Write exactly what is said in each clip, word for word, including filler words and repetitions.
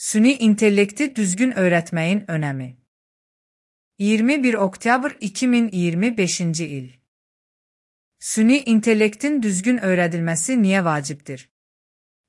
Süni intellekti düzgün öğretmeyin önemi. iyirmi bir oktyabr iki min iyirmi beşinci il. Süni intellektin düzgün öğredilmesi niye vacibdir?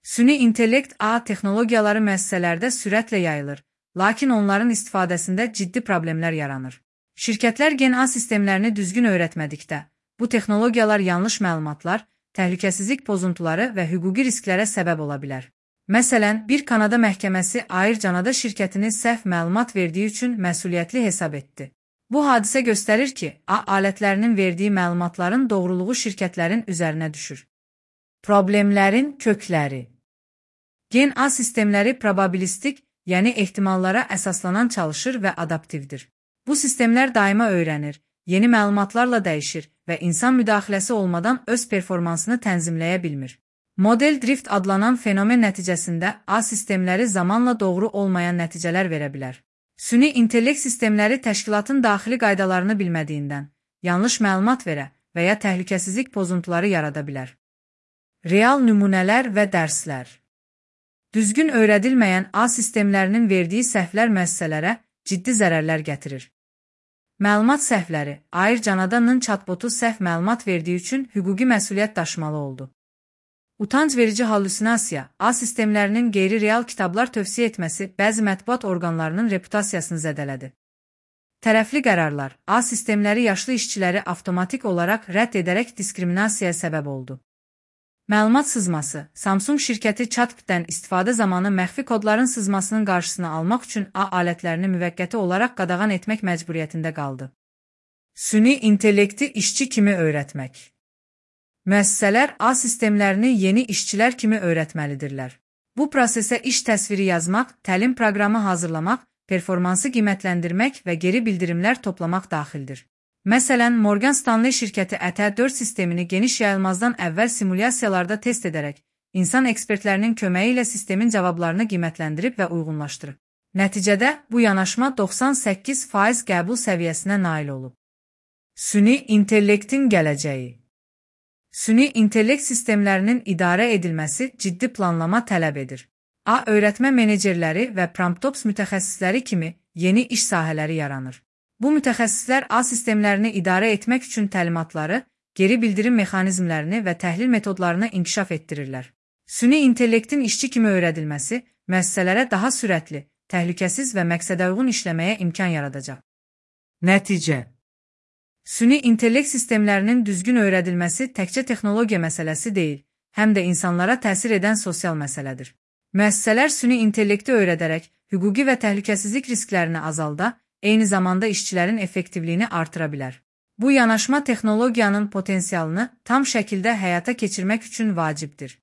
Süni intellekt A texnologiyaları müəssisələrdə sürətlə yayılır, lakin onların istifadəsində ciddi problemlər yaranır. Şirkətlər gen A sistemlərini düzgün öyrətmədikdə, bu texnologiyalar yanlış məlumatlar, təhlükəsizlik pozuntuları və hüquqi risklərə səbəb ola bilər. Məsələn, bir Kanada məhkəməsi Air Canada şirkətini səhv məlumat verdiyi üçün məsuliyyətli hesab etdi. Bu hadisə göstərir ki, A alətlərinin verdiyi məlumatların doğruluğu şirkətlərin üzərinə düşür. Problemlərin kökləri. Gen A sistemləri probabilistik, yəni ehtimallara əsaslanan çalışır və adaptivdir. Bu sistemlər daima öyrənir, yeni məlumatlarla dəyişir və insan müdaxiləsi olmadan öz performansını tənzimləyə bilmir. Model drift adlanan fenomen nəticəsində A sistemləri zamanla doğru olmayan nəticələr verə bilər. Süni intellekt sistemləri təşkilatın daxili qaydalarını bilmədiyindən, yanlış məlumat verə və ya təhlükəsizlik pozuntuları yarada bilər. Real nümunələr və dərslər. Düzgün öyrədilməyən A sistemlərinin verdiyi səhvlər müəssisələrə ciddi zərərlər gətirir. Məlumat səhvləri. Air Canada'nın chatbotu səhv məlumat verdiyi üçün hüquqi məsuliyyət daşımalı oldu. Utanc verici hallüsinasiya, A sistemlərinin qeyri-real kitablar tövsiyə etməsi bəzi mətbuat orqanlarının reputasiyasını zədələdi. Tərəfli qərarlar, A sistemləri yaşlı işçiləri avtomatik olaraq rədd edərək diskriminasiyaya səbəb oldu. Məlumat sızması, Samsung şirkəti chatbotdən istifadə zamanı məxfi kodların sızmasının qarşısını almaq üçün A alətlərini müvəqqəti olaraq qadağan etmək məcburiyyətində qaldı. Süni intellekti işçi kimi öyrətmək. Müəssisələr A sistemlərini yeni işçilər kimi öyrətməlidirlər. Bu prosesə iş təsviri yazmaq, təlim proqramı hazırlamaq, performansı qiymətləndirmək və geri bildirimlər toplamaq daxildir. Məsələn, Morgan Stanley şirkəti Ə T dörd sistemini geniş yayılmazdan əvvəl simulyasiyalarda test edərək, insan ekspertlərinin köməyi ilə sistemin cavablarını qiymətləndirib və uyğunlaşdırıb. Nəticədə bu yanaşma doxsan səkkiz faiz qəbul səviyyəsinə nail olub. Süni intellektin gələcəyi. Süni intellekt sistemlərinin idarə edilməsi ciddi planlama tələb edir. A öyrətmə menecerləri və promptops mütəxəssisləri kimi yeni iş sahələri yaranır. Bu mütəxəssislər A sistemlərini idarə etmək üçün təlimatları, geri bildirim mexanizmlərini və təhlil metodlarını inkişaf etdirirlər. Süni intellektin işçi kimi öyrədilməsi müəssisələrə daha sürətli, təhlükəsiz və məqsədəuyğun işləməyə imkan yaradacaq. Nəticə. Süni intellekt sistemlərinin düzgün öyrədilməsi təkcə texnologiya məsələsi deyil, həm də insanlara təsir edən sosial məsələdir. Müəssisələr süni intellekti öyrədərək hüquqi və təhlükəsizlik risklərini azalda, eyni zamanda işçilərin effektivliyini artıra bilər. Bu yanaşma texnologiyanın potensialını tam şəkildə həyata keçirmək üçün vacibdir.